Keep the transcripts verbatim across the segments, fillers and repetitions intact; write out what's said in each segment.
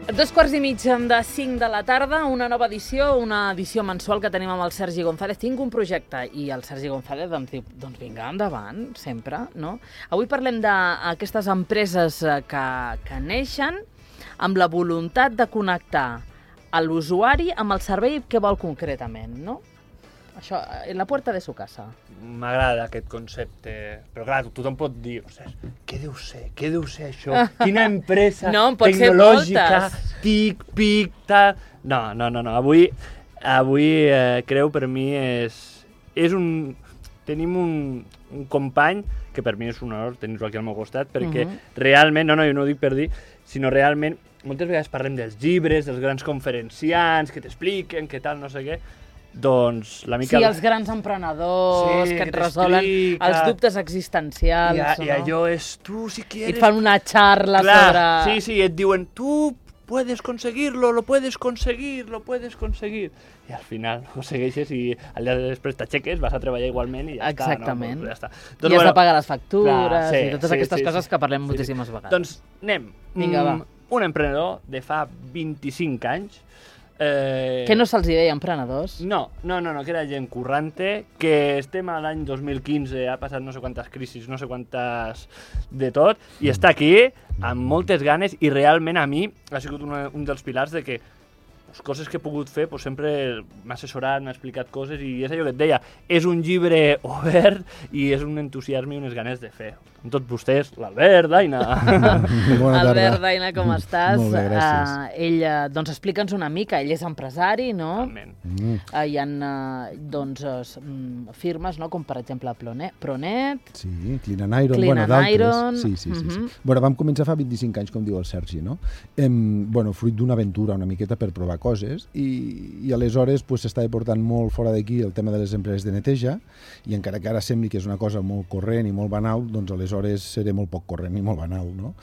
Dos quarts i mig de cinc de la tarda, una nova edició, una edició mensual que tenim amb el Sergi González. Tinc un projecte i el Sergi González doncs diu, doncs vinga, endavant, sempre, no? Avui parlem d'aquestes empreses que, que neixen amb la voluntat de connectar l'usuari amb el servei que vol concretament, no? Això, en la puerta de su casa. M'agrada aquest concepte, però clar, tothom pot dir, ostres, què deu ser, què deu ser això? Quina empresa no, tecnològica, tic, pic, tal... No, no, no, no. Avui, avui eh, creu, per mi és, és un... Tenim un, un company que per mi és un honor tenir-lo aquí al meu costat, perquè uh-huh. realment, no, no, jo no ho dic per dir, sinó realment, moltes vegades parlem dels llibres, dels grans conferenciants, que t'expliquen, que tal, no sé què, doncs la mica... Sí, els grans emprenedors sí, que et que resolen els dubtes existencials. I, a, no? I allò és, tu si quieres... I et fan una xarra Clar, sobre... Sí, sí, et diuen, tu puedes conseguirlo, lo puedes conseguir, lo puedes conseguir. I al final ho segueixes i al dia després t'aixeques, vas a treballar igualment i ja Exactament. està. No? Ja està. Doncs, doncs, I has bueno, de pagar les factures clar, sí, i totes sí, aquestes sí, coses sí, que parlem sí, moltíssimes sí. vegades. Doncs anem. Vinga, va. Un emprenedor de fa vint-i-cinc anys. Eh... Que no se'ls deia emprenedors? No, no, no, no, que era gent currante, que estem a l'any dos mil quinze, ha passat no sé quantes crisis, no sé quantes de tot, i està aquí amb moltes ganes i realment a mi ha sigut una, un dels pilars de que les coses que he pogut fer, pues, sempre m'ha assessorat, m'ha explicat coses i és allò que et deia, és un llibre obert i és un entusiasme i unes ganes de fer. Amb tots vostès, l'Albert, Daina. Albert, Daina, com estàs? Molt bé, gràcies. Uh, ell, uh, doncs explica'ns una mica, ell és empresari, no? Totalment. Mm. Uh, hi ha uh, doncs, uh, firmes, no? Com per exemple Pronet. Pronet sí, Clean and Iron, Clean bueno, and Iron. d'altres. Sí, sí, sí, uh -huh. sí. Bueno, vam començar fa vint-i-cinc anys, com diu el Sergi, no? Em, bueno, fruit d'una aventura una miqueta per provar coses i, i aleshores pues, s'estava portant molt fora d'aquí el tema de les empreses de neteja i encara que ara sembli que és una cosa molt corrent i molt banal, doncs aleshores seré molt poc corrent i molt banal, no?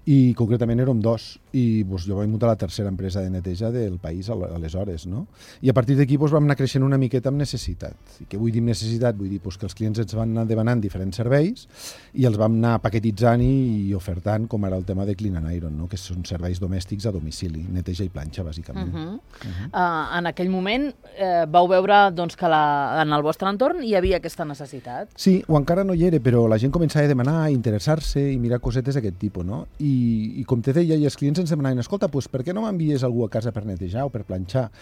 I concretament érem dos i doncs, jo vaig muntar la tercera empresa de neteja del país aleshores, no? I a partir d'aquí doncs, vam anar creixent una miqueta amb necessitat. I què vull dir amb necessitat? Vull dir doncs, que els clients ens van anar demanant diferents serveis i els vam anar paquetitzant i, i ofertant, com ara el tema de Clean and Iron, no? Que són serveis domèstics a domicili, neteja i planxa, bàsicament. Uh -huh. Uh -huh. Uh, en aquell moment eh, vau veure doncs, que la, en el vostre entorn hi havia aquesta necessitat? Sí, o encara no hi era, però la gent començava a demanar, a interessar-se i mirar cosetes d'aquest tipus, no? I I, i com te deia, i els clients ens demanaven, escolta, pues, per què no m'envies algú a casa per netejar o per planxar?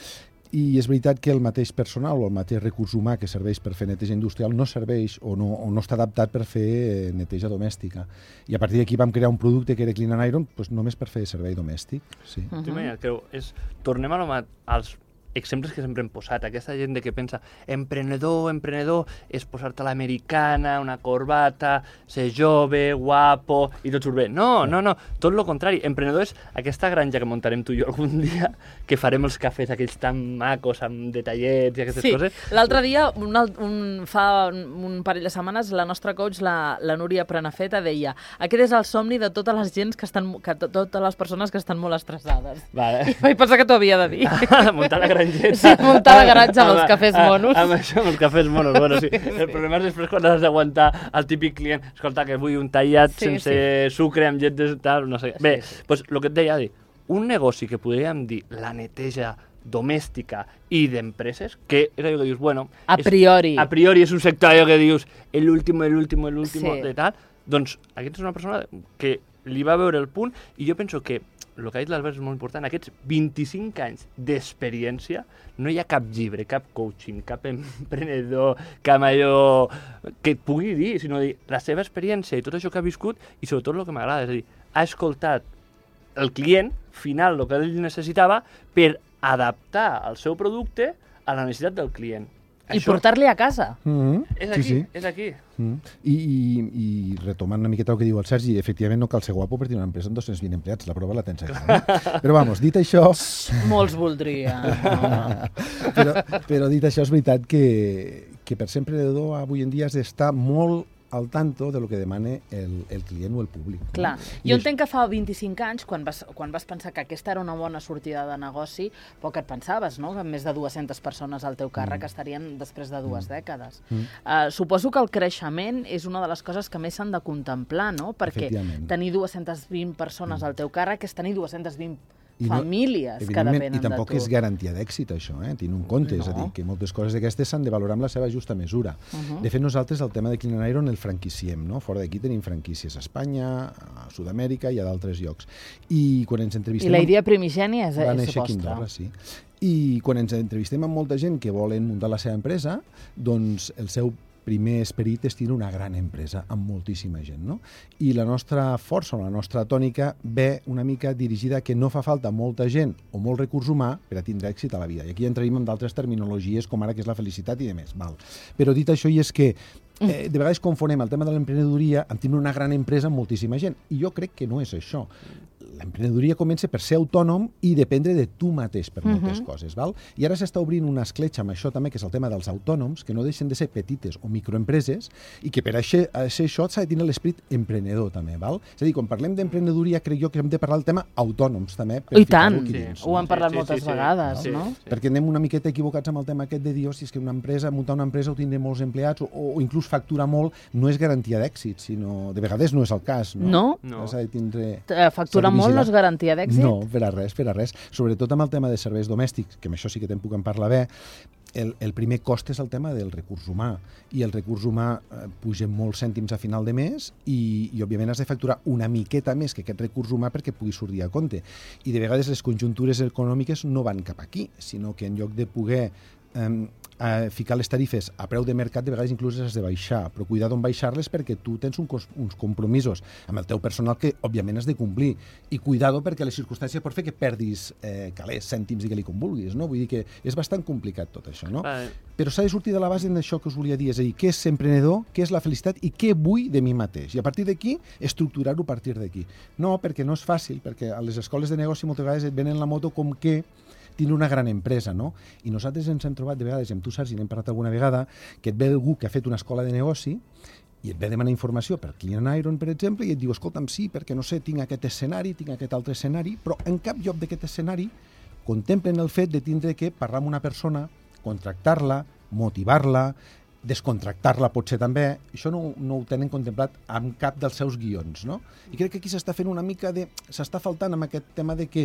I és veritat que el mateix personal o el mateix recurs humà que serveix per fer neteja industrial no serveix o no, o no està adaptat per fer neteja domèstica. I a partir d'aquí vam crear un producte que era Clean and Iron pues, només per fer servei domèstic. Sí. Uh-huh. T'imagines, creu, és, tornem a lo, als exemples que sempre hem posat, aquesta gent que pensa emprenedor, emprenedor, és posar-te l'americana, una corbata, ser jove, guapo, i tot surt bé. No, no, no, tot el contrari. Emprenedor és aquesta granja que muntarem tu i jo algun dia, que farem els cafès aquells tan macos, amb detallets i aquestes sí. coses. L'altre dia, un, un, fa un parell de setmanes, la nostra coach, la, la Núria Prenafeta, deia aquest és el somni de totes les gens que estan, que totes les persones que estan molt estressades. Vale. I vaig pensar que t'ho havia de dir. Muntar la granja. Sí, muntar la garatge amb els cafès monos. Amb això, amb els cafès monos, bueno, sí. El problema és després quan has d'aguantar el típic client, escolta, que vull un tallat sí, sense sí. sucre, amb llet de tal, no sé. Bé, doncs sí, sí. pues, el que et deia, un negoci que podríem dir la neteja domèstica i d'empreses, que és allò que dius, bueno... A priori. És, a priori és un sector allò que dius, el último, el último, el último, sí. de tal, doncs aquesta és una persona que li va veure el punt i jo penso que el que ha dit l'Albert és molt important, aquests vint-i-cinc anys d'experiència, no hi ha cap llibre, cap coaching, cap emprenedor, cap allò que et pugui dir, sinó dir la seva experiència i tot això que ha viscut i sobretot el que m'agrada, és a dir, ha escoltat el client final, el que ell necessitava, per adaptar el seu producte a la necessitat del client. I això... portar-li a casa. Mm-hmm. És aquí, sí, sí. és aquí. Mm-hmm. I, i, I retomant una miqueta el que diu el Sergi, efectivament no cal ser guapo per tenir una empresa amb dos-cents vint empleats, la prova la tens aquí. No? Però vamos, dit això... Molts voldrien. No. però, però dit això, és veritat que, que per ser emprenedor avui en dia has d'estar molt al tanto de lo que demana el, el client o el públic. Clar. No? Jo entenc que fa vint-i-cinc anys, quan vas, quan vas pensar que aquesta era una bona sortida de negoci, poc et pensaves, no?, que més de dues-centes persones al teu càrrec mm. estarien després de dues mm. dècades. Mm. Uh, suposo que el creixement és una de les coses que més s'han de contemplar, no?, perquè tenir dues-centes vint persones mm. al teu càrrec és tenir dues-centes vint famílies que depenen de tu. I tampoc és garantia d'èxit, això, eh? Tinc un compte, no. És a dir, que moltes coses d'aquestes s'han de valorar amb la seva justa mesura. Uh-huh. De fet, nosaltres el tema de Clean and Iron el franquiciem, no? Fora d'aquí tenim franquícies a Espanya, a Sud-amèrica i a d'altres llocs. I quan ens entrevistem... I la idea primigènia és, va és néixer vostra. Quindorra, sí. I quan ens entrevistem amb molta gent que volen muntar la seva empresa, doncs el seu primer esperit és tenir una gran empresa amb moltíssima gent, no? I la nostra força, la nostra tònica, ve una mica dirigida que no fa falta molta gent o molt recurs humà per a tindre èxit a la vida. I aquí entrem en d'altres terminologies, com ara que és la felicitat i demés. Val. Però dit això, i és que eh, de vegades confonem el tema de l'emprenedoria amb tenir una gran empresa amb moltíssima gent. I jo crec que no és això. L'emprenedoria comença per ser autònom i dependre de tu mateix per moltes uh-huh. coses. Val? I ara s'està obrint una escletxa amb això també, que és el tema dels autònoms, que no deixen de ser petites o microempreses i que per a ser això s'ha de tenir l'esperit emprenedor també. Val? És a dir, quan parlem d'emprenedoria crec jo que hem de parlar del tema autònoms també. Per I tant, sí. dins, ho hem parlat sí, sí, moltes sí, sí. vegades, sí, no? Sí. Perquè anem una miqueta equivocats amb el tema aquest de dir, oh, si és que una empresa, muntar una empresa o tindre molts empleats o, o inclús facturar molt no és garantia d'èxit, sinó de vegades no és el cas. No? No. no. Has de tindre... Facturar molt no és garantia d'èxit? No, per a res, per a res. Sobretot amb el tema de serveis domèstics, que amb això sí que te'n puc en parlar bé, el, el primer cost és el tema del recurs humà. I el recurs humà eh, puja molts cèntims a final de mes i, i, òbviament, has de facturar una miqueta més que aquest recurs humà perquè pugui sortir a compte. I, de vegades, les conjuntures econòmiques no van cap aquí, sinó que en lloc de poder eh, a ficar les tarifes a preu de mercat, de vegades inclús has de baixar, però cuidar d'on baixar-les perquè tu tens un cos, uns compromisos amb el teu personal que, òbviament, has de complir. I cuidado perquè les circumstàncies pot fer que perdis eh, calés, cèntims, digue-li com vulguis, no? Vull dir que és bastant complicat tot això, no? Vale. Però s'ha de sortir de la base d'això que us volia dir, és a dir, què és ser emprenedor, què és la felicitat i què vull de mi mateix. I a partir d'aquí, estructurar-ho a partir d'aquí. No, perquè no és fàcil, perquè a les escoles de negoci moltes vegades et venen la moto com que tindre una gran empresa, no? I nosaltres ens hem trobat de vegades, amb tu, Sergi, n'hem parlat alguna vegada, que et ve algú que ha fet una escola de negoci i et ve a demanar informació per Clean and Iron, per exemple, i et diu, escolta'm, sí, perquè no sé, tinc aquest escenari, tinc aquest altre escenari, però en cap lloc d'aquest escenari contemplen el fet de tindre que parlar amb una persona, contractar-la, motivar-la, descontractar-la potser també, això no, no ho tenen contemplat amb cap dels seus guions, no? I crec que aquí s'està fent una mica de... s'està faltant amb aquest tema de que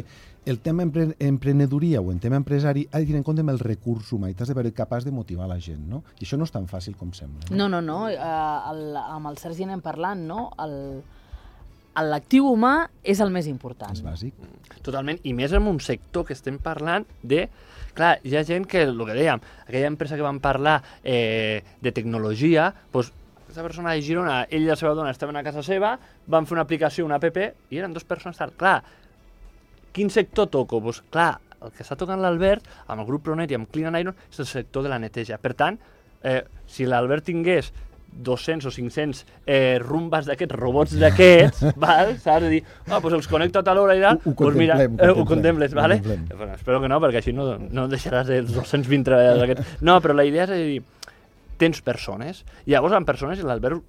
el tema empre emprenedoria o el tema empresari ha de tenir en compte amb el recurs humà i t'has de veure capaç de motivar la gent, no? I això no és tan fàcil com sembla. No, no, no. Uh, el, amb el Sergi anem parlant, no? El... l'actiu humà és el més important. És bàsic. Totalment, i més en un sector que estem parlant de... Clar, hi ha gent que, el que dèiem, aquella empresa que van parlar eh, de tecnologia, doncs, aquesta persona de Girona, ell i la seva dona estaven a casa seva, van fer una aplicació, una app, i eren dues persones tal. Clar, quin sector toco? Doncs, clar, el que està tocant l'Albert, amb el grup Pronet i amb Clean and Iron, és el sector de la neteja. Per tant, eh, si l'Albert tingués dos-cents o cinc-cents eh, rumbes d'aquests, robots d'aquests, val? Saps? De dir, ah, doncs els connecto a tal hora i tal, ho, ho doncs mira, contemplem, eh, ho ho contemples, ho vale? contemplem. Bueno, espero que no, perquè així no, no deixaràs els dos-cents vint treballadors d'aquests. No, però la idea és de dir, tens persones, i llavors amb persones, i l'Albert,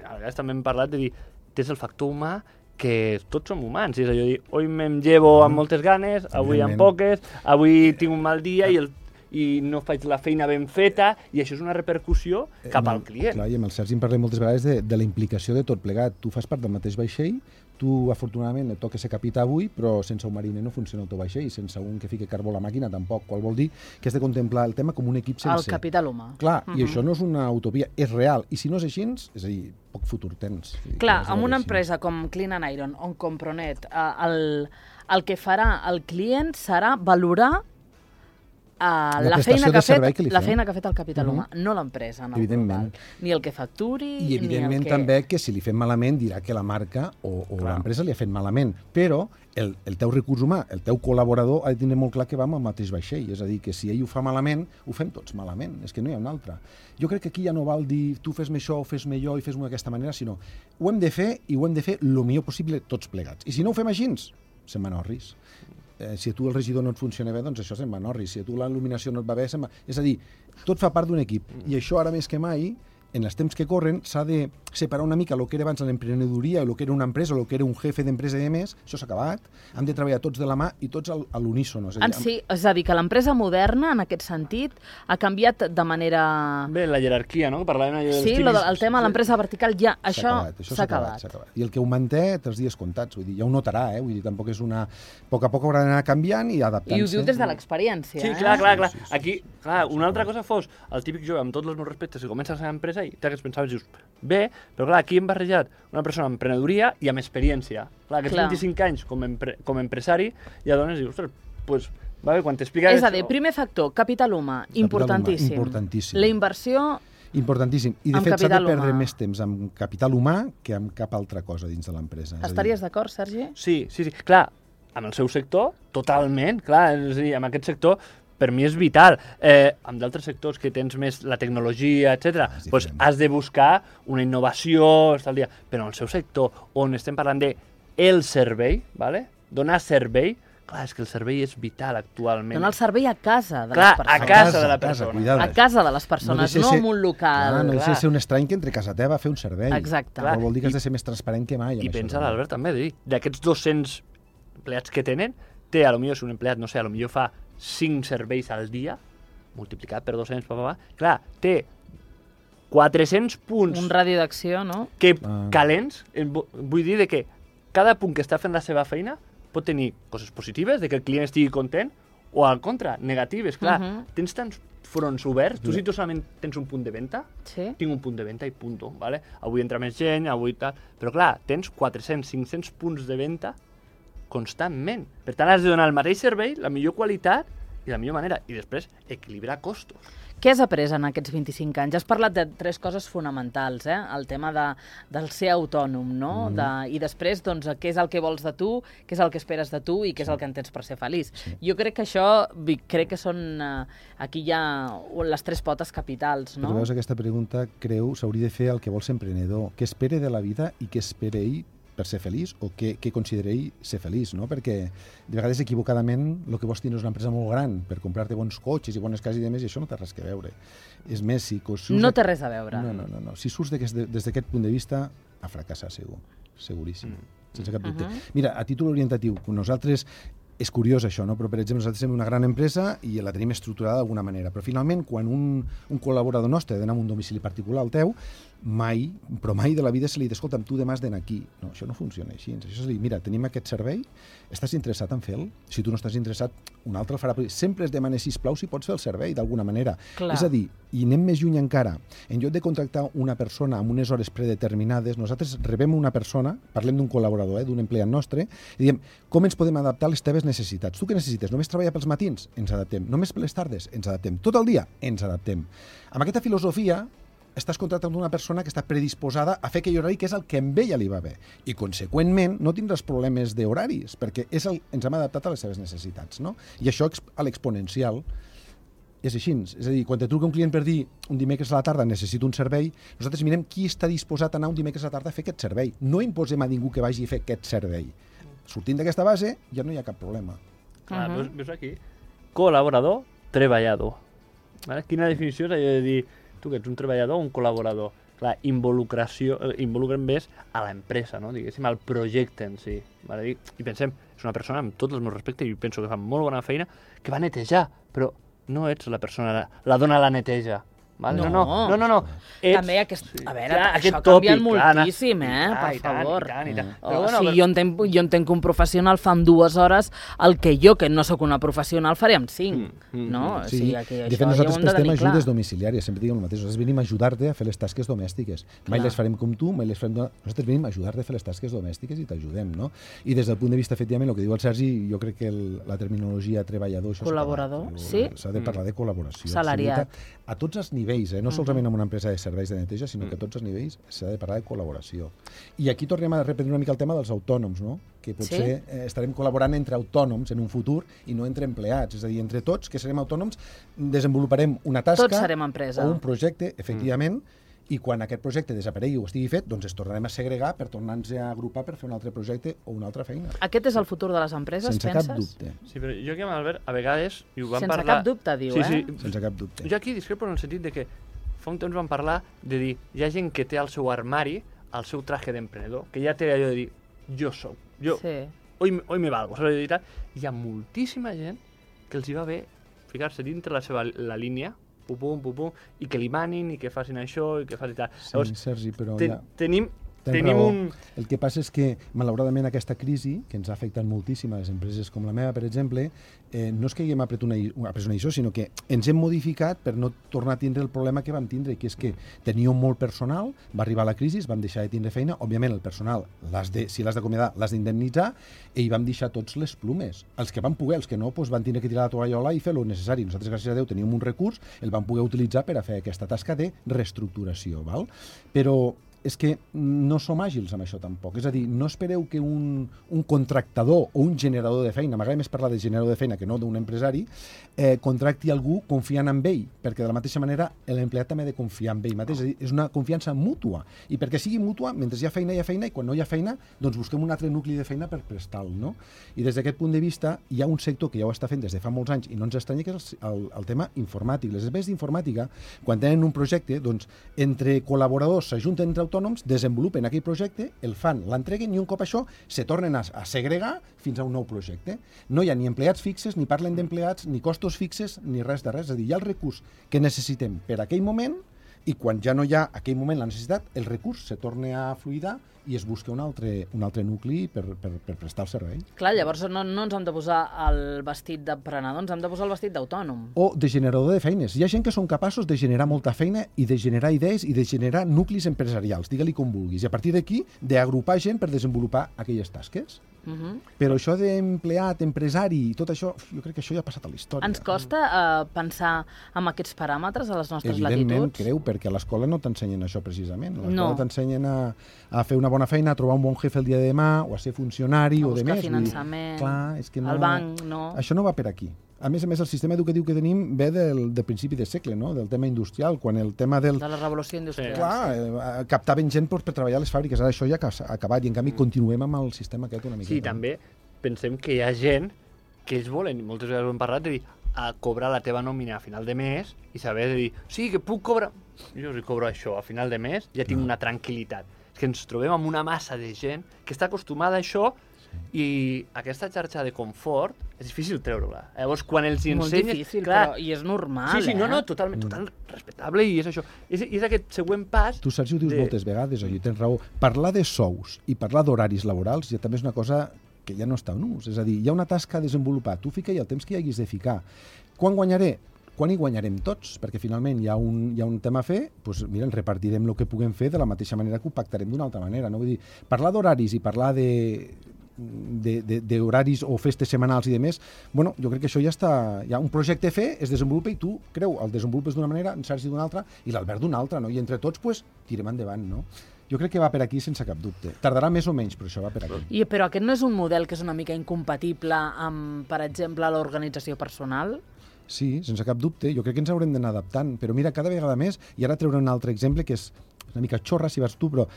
a vegades també hem parlat de dir, tens el factor humà que tots som humans, és a dir, avui me'n llevo amb moltes ganes, avui amb poques, avui tinc un mal dia i el i no faig la feina ben feta, i això és una repercussió cap al client. Clar, i amb el Sergi en parlem moltes vegades de, de la implicació de tot plegat. Tu fas part del mateix vaixell, tu, afortunadament, et toca ser capità avui, però sense un mariner no funciona el teu vaixell, i sense un que fiqui carbó a la màquina tampoc, qual vol dir que has de contemplar el tema com un equip sencer. El capital humà. Clar, uh -huh. I Uh-huh. això no és una utopia, és real, i si no és així, és a dir, poc futur tens. Clar, amb una empresa com Clean and Iron o com Pronet, eh, el, el que farà el client serà valorar Uh, la, la feina que ha fet, que la feina que ha fet el capital uh -huh. humà, no l'empresa en el evidentment. global. Ni el que facturi, I evidentment ni el que... també que si li fem malament dirà que la marca o, o l'empresa li ha fet malament, però el, el teu recurs humà, el teu col·laborador ha de tenir molt clar que va amb el mateix vaixell, és a dir, que si ell ho fa malament, ho fem tots malament, és que no hi ha un altre. Jo crec que aquí ja no val dir tu fes-me això o fes-me allò i fes-m'ho d'aquesta manera, sinó ho hem de fer i ho hem de fer el millor possible tots plegats. I si no ho fem així, se'n van orris. Eh, si a tu el regidor no et funciona bé, doncs això se'n va en orris. Si a tu la il·luminació no et va bé, se'n va... És a dir, tot fa part d'un equip. I això ara més que mai en els temps que corren s'ha de separar una mica el que era abans l'emprenedoria, el que era una empresa, el que era un jefe d'empresa i demés, això s'ha acabat, hem de treballar tots de la mà i tots al, a l'unísono. En sí, és a dir, que l'empresa moderna, en aquest sentit, ha canviat de manera... Bé, la jerarquia, no? Parlàvem allò dels Sí, típics... lo, el tema de l'empresa vertical, ja, això s'ha acabat. acabat. acabat. I el que ho manté té els dies comptats, vull dir, ja ho notarà, eh? Vull dir, tampoc és una... A poc a poc haurà d'anar canviant i adaptant-se. I ho diu des de l'experiència, Sí, eh? clar, clar, clar. Sí, sí, sí. Aquí, clar, una altra cosa fos el típic jove, amb tots els meus respectes, que comença la seva empresa i t'hagués pensaves, dius, bé, però clar, aquí hem barrejat una persona amb emprenedoria i amb experiència. Clar, aquests Clar. vint-i-cinc anys com, empre com a empresari, ja dones i dius, ostres, pues, va bé, quan t'expliques... És a dir, primer factor, capital humà, importantíssim. humà, importantíssim. La inversió... Importantíssim. I, de Amb fet, s'ha de capital perdre humà. més temps amb capital humà que amb cap altra cosa dins de l'empresa. Estaries d'acord, Sergi? Sí, sí, sí. Clar, amb el seu sector, totalment, clar, és a dir, amb aquest sector per mi és vital. Eh, amb d'altres sectors que tens més la tecnologia, etcètera, Ah, doncs has de buscar una innovació, estar al dia. Però en el seu sector, on estem parlant de el servei, ¿vale? Donar servei, clar, és que el servei és vital actualment. Donar el servei a casa de Clar, les persones. a casa de la A casa, persona. cuidado. A casa de les persones, deixa no ser- en un local. Clar, no deixa clar. de ser un estrany que entre casa teva a fer un servei. Exacte. Clar, Clar, vol dir que has i- de ser més transparent que mai. amb I això pensa també. l'Albert també, de dir, d'aquests dos-cents empleats que tenen, té, a lo millor, si un empleat, no sé, a lo millor fa cinc serveis al dia, multiplicat per dos-cents, pa, pa, pa, clar, té quatre-cents punts Un radi d'acció, no? que Ah. calents, eh, vu- vull dir de que cada punt que està fent la seva feina pot tenir coses positives, de que el client estigui content, o al contra, negatives, clar. Mhm. Tens tants fronts oberts, tu si tu solament tens un punt de venda, Sí. tinc un punt de venda i punto, ¿vale? Avui entra més gent, avui tal... Però clar, tens quatre-cents, cinc-cents punts de venda constantment. Per tant, has de donar el mateix servei, la millor qualitat i la millor manera. I després, equilibrar costos. Què has après en aquests vint-i-cinc anys? Has parlat de tres coses fonamentals, eh? El tema de, del ser autònom, no? Mm. De, I després, doncs, què és el que vols de tu, què és el que esperes de tu i què és el que entens per ser feliç. Sí. Jo crec que això, vi- crec que són... Eh, aquí hi ha les tres potes capitals, no? Però veus, aquesta pregunta, creu, s'hauria de fer el que vol ser emprenedor. Què espere de la vida i què espera ell per ser feliç o què, què considera ell ser feliç, no? Perquè de vegades equivocadament el que vols tenir és una empresa molt gran per comprar-te bons cotxes i bones cases i demés, i això no té res que veure. És més, si... si No té res a veure. No, no, no, no. Si surts d'aquest- des d'aquest punt de vista, a fracassar segur, seguríssim, mm. sense cap dubte. Uh-huh. Mira, a títol orientatiu, nosaltres, és curiós això, no? Però per exemple nosaltres som una gran empresa i la tenim estructurada d'alguna manera, però finalment quan un, un col·laborador nostre ha d'anar a un domicili particular al teu, mai, però mai de la vida se li diu, escolta'm, tu demà has d'anar aquí. No, això no funciona així. Això és dir, mira, tenim aquest servei, estàs interessat en fer-lo? Si tu no estàs interessat, un altre el farà. Sempre es demana, sisplau, si pots fer el servei d'alguna manera. Clar. És a dir, i anem més lluny encara. En lloc de contractar una persona amb unes hores predeterminades, nosaltres rebem una persona, parlem d'un col·laborador, eh, d'un empleat nostre, i diem, com ens podem adaptar a les teves necessitats? Tu què necessites? Només treballar pels matins? Ens adaptem. Només per les tardes? Ens adaptem. Tot el dia? Ens adaptem. Amb aquesta filosofia, estàs contractant una persona que està predisposada a fer aquell horari que és el que amb ella li va bé. I, conseqüentment, no tindràs problemes d'horaris, perquè és el, ens hem adaptat a les seves necessitats, no? I això a l'exponencial és així. És a dir, quan te truca un client per dir un dimecres a la tarda necessito un servei, nosaltres mirem qui està disposat a anar un dimecres a la tarda a fer aquest servei. No imposem a ningú que vagi a fer aquest servei. Sortint d'aquesta base, ja no hi ha cap problema. Clar, Mhm. veus, veus aquí? Col·laborador, treballador. Vale? Quina definició és allò de dir tu que ets un treballador o un col·laborador? Clar, involucració, eh, involucren més a l'empresa, no? Diguéssim, al projecte en si. Vale? I, I pensem, és una persona amb tots els meus respectes i penso que fa molt bona feina, que va netejar, però no ets la persona, la, la dona la neteja. Vale? No. no, no, no, no, no. Ets... També aquest... A veure, Clar, això aquest ha canviat tòpic, clar, moltíssim, eh? i Per tant, i tant, favor. i tant, i tant. O Però bueno, sigui, però- jo entenc, jo entenc que un professional fa en dues hores el que jo, que no sóc una professional, faré en cinc. Mm, mm, no? mm. O Sí, sigui, que de això fet, ja ho nosaltres hem de prestem tenir clar. ajudes domiciliàries, sempre diguem el mateix. Nosaltres venim a ajudar-te a fer les tasques domèstiques. Mai Clar. les farem com tu, mai les farem... Nosaltres venim a ajudar-te a fer les tasques domèstiques i t'ajudem, no? I des del punt de vista, efectivament, el que diu el Sergi, jo crec que el, la terminologia treballador... Això s'ha Col·laborador, acabat. sí? S'ha de parlar de col·laboració. Salariat. absoluta, a tots els nivells, eh? No solament en una empresa de serveis de neteja, sinó que a tots els nivells s'ha de parlar de col·laboració. I aquí tornem a repetir una mica el tema dels autònoms, no? Que potser Sí. eh, estarem col·laborant entre autònoms en un futur i no entre empleats. És a dir, entre tots, que serem autònoms, desenvoluparem una tasca Tots serem empresa. o un projecte, efectivament, i quan aquest projecte desaparegui o estigui fet, doncs es tornarem a segregar per tornar-nos a agrupar per fer un altre projecte o una altra feina. Aquest és el futur de les empreses, Sense penses? cap dubte. Sí, però jo que amb Albert, a vegades, i ho vam Sense parlar... cap dubte, diu, sí, eh? Sí, Sense cap dubte. Jo aquí discrepo en el sentit de que fa un temps vam parlar de dir, hi ha gent que té al seu armari el seu traje d'emprenedor, que ja té allò de dir, jo soc, jo, sí. hoy, hoy me valgo, saps? Hi ha moltíssima gent que els hi va bé ficar-se dintre la seva la línia, pum, pum, pum, pum, i que li manin, i que facin això, i que facin tal. Sí, Llavors, Sergi, però ten, ja... tenim... Tens Tenim raó. un... El que passa és que, malauradament, aquesta crisi, que ens ha afectat moltíssim a les empreses com la meva, per exemple, eh, no és que haguem après una, après una això, sinó que ens hem modificat per no tornar a tindre el problema que vam tindre, que és que teníem molt personal, va arribar la crisi, vam deixar de tindre feina, òbviament el personal, l'has de, si l'has d'acomiadar, l'has d'indemnitzar, i vam deixar tots les plumes. Els que van poder, els que no, doncs van tindre que tirar la tovallola i fer lo necessari. Nosaltres, gràcies a Déu, teníem un recurs, el vam poder utilitzar per a fer aquesta tasca de reestructuració, val? Però és que no som àgils amb això tampoc. És a dir, no espereu que un, un contractador o un generador de feina, m'agrada més parlar de generador de feina que no d'un empresari, eh, contracti algú confiant en ell, perquè de la mateixa manera l'empleat també ha de confiar en ell mateix. És a dir, és una confiança mútua. I perquè sigui mútua, mentre hi ha feina, hi ha feina, i quan no hi ha feina, doncs busquem un altre nucli de feina per prestar-lo, no? I des d'aquest punt de vista, hi ha un sector que ja ho està fent des de fa molts anys i no ens estranya, que és el, el, el tema informàtic. Les empreses d'informàtica, quan tenen un projecte, doncs, entre col·laboradors s'ajunten entre autònoms, desenvolupen aquell projecte, el fan, l'entreguen i un cop això se tornen a, a segregar fins a un nou projecte. No hi ha ni empleats fixes, ni parlen d'empleats, ni costos fixes, ni res de res. És a dir, hi ha el recurs que necessitem per aquell moment i quan ja no hi ha aquell moment la necessitat, el recurs se torna a fluidar i es busca un altre, un altre nucli per, per, per prestar el servei. Clar, llavors no, no ens hem de posar el vestit d'emprenedor, ens hem de posar el vestit d'autònom. O de generador de feines. Hi ha gent que són capaços de generar molta feina i de generar idees i de generar nuclis empresarials, digue-li com vulguis. I a partir d'aquí, d'agrupar gent per desenvolupar aquelles tasques. Uh -huh. Però això d'empleat, empresari i tot això, jo crec que això ja ha passat a la història. Ens costa uh, pensar en aquests paràmetres a les nostres Evidentment, latituds? creu, perquè a l'escola no t'ensenyen això precisament. A l'escola no. t'ensenyen a, a fer una bona feina, a trobar un bon jefe el dia de demà, o a ser funcionari, a o de més. A buscar finançament, clar, és que no, el banc, no. Això no va per aquí. A més a més, el sistema educatiu que tenim ve del, del principi de segle, no? Del tema industrial, quan el tema del... De la revolució industrial. Clar, eh, captaven gent per, per treballar a les fàbriques, ara això ja ha acabat, i en canvi continuem amb el sistema aquest una miqueta. Sí, també pensem que hi ha gent que ells volen, moltes vegades ho hem parlat, de dir, a cobrar la teva nòmina a final de mes i saber de dir, sí, que puc cobrar... Jo si cobro això a final de mes, ja tinc no. una tranquil·litat. És que ens trobem amb una massa de gent que està acostumada a això i aquesta xarxa de confort és difícil treure-la. Llavors, quan els hi ensenyes... Molt difícil, clar, però i és normal, sí, sí, eh? no, no, totalment, total respectable i és això. És, és aquest següent pas... Tu, Sergi, ho dius de... moltes vegades, oi, tens raó. Parlar de sous i parlar d'horaris laborals ja també és una cosa que ja no està en ús. És a dir, hi ha una tasca a desenvolupar. Tu fica-hi el temps que hi haguis de ficar. Quan guanyaré? Quan hi guanyarem tots? Perquè finalment hi ha un, hi ha un tema a fer, doncs mira, ens repartirem el que puguem fer de la mateixa manera que ho pactarem d'una altra manera. No? Vull dir, parlar d'horaris i parlar de d'horaris o festes setmanals i de més, bueno, jo crec que això ja està... Hi ha un projecte a fer, es desenvolupa i tu, creu, el desenvolupes d'una manera, en Sergi d'una altra i l'Albert d'una altra, no? I entre tots, pues, tirem endavant, no? Jo crec que va per aquí sense cap dubte. Tardarà més o menys, però això va per aquí. I, però aquest no és un model que és una mica incompatible amb, per exemple, l'organització personal? Sí, sense cap dubte. Jo crec que ens haurem d'anar adaptant. Però mira, cada vegada més, i ara treuré un altre exemple que és una mica xorra, si vas tu, però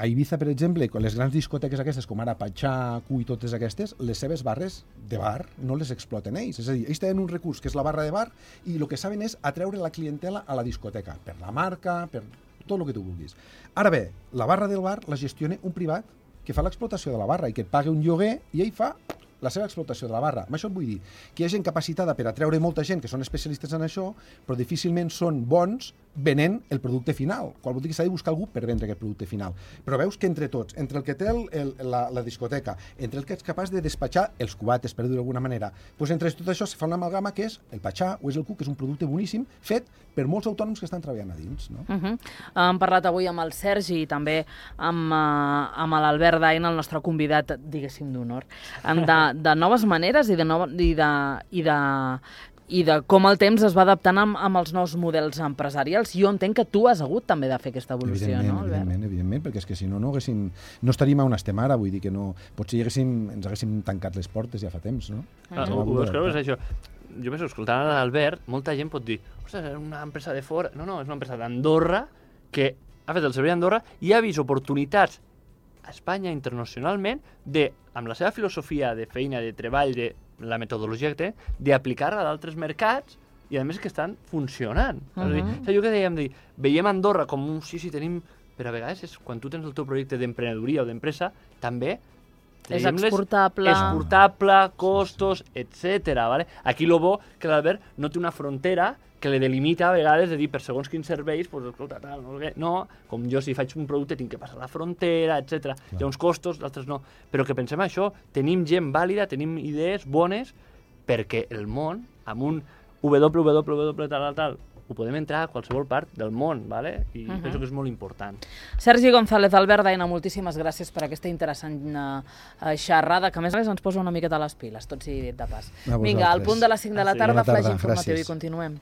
a Ibiza, per exemple, les grans discoteques aquestes, com ara Patxà, Q i totes aquestes, les seves barres de bar no les exploten ells. És a dir, ells tenen un recurs que és la barra de bar i el que saben és atreure la clientela a la discoteca, per la marca, per tot el que tu vulguis. Ara bé, la barra del bar la gestiona un privat que fa l'explotació de la barra i que et paga un lloguer i ell fa la seva explotació de la barra. Amb això et vull dir que hi ha gent capacitada per atreure molta gent que són especialistes en això, però difícilment són bons venent el producte final. Qual vol dir que s'ha de buscar algú per vendre aquest producte final. Però veus que entre tots, entre el que té el, el, la, la discoteca, entre el que ets capaç de despatxar els cubates, per dir-ho d'alguna manera, doncs entre tot això se fa una amalgama que és el Patxà o és el Q, que és un producte boníssim, fet per molts autònoms que estan treballant a dins. No? Uh -huh. Hem parlat avui amb el Sergi i també amb, uh, amb l'Albert Dain, el nostre convidat, diguéssim, d'honor, de, de noves maneres i de, no, i de, i de i de com el temps es va adaptant amb, amb els nous models empresarials. Jo entenc que tu has hagut també de fer aquesta evolució, evidentment, no, Albert? Evidentment, evidentment, perquè és que si no, no, haguéssim, no estaríem on estem ara, vull dir que no... Potser hi haguéssim, ens haguéssim tancat les portes ja fa temps, no? Ah, ho, ho veus, és això. Jo m'he escoltant a l'Albert, molta gent pot dir, ostres, és una empresa de fora... No, no, és una empresa d'Andorra que ha fet el servei d'Andorra i ha vist oportunitats a Espanya internacionalment de, amb la seva filosofia de feina, de treball, de la metodologia que té, d'aplicar-la a d'altres mercats i a més que estan funcionant. Uh -huh. És a dir, -huh. allò que dèiem, dir, veiem Andorra com un sí, sí, tenim... Però a vegades, és, quan tu tens el teu projecte d'emprenedoria o d'empresa, també és exportable. Exportable, costos, etcètera. Vale? Aquí el bo que l'Albert no té una frontera que le delimita a vegades de dir per segons quins serveis, pues, escolta, tal, no, no, com jo si faig un producte tinc que passar la frontera, etcètera. Hi ha uns costos, d'altres no. Però que pensem això, tenim gent vàlida, tenim idees bones, perquè el món, amb un www tal, tal, tal, ho podem entrar a qualsevol part del món, ¿vale? I uh -huh. penso que és molt important. Sergi González, Albert Daina, moltíssimes gràcies per aquesta interessant uh, xerrada, que a més a més ens posa una miqueta a les piles, tot sigui dit de pas. Vinga, al punt de les cinc de la tarda, flash informatiu i continuem.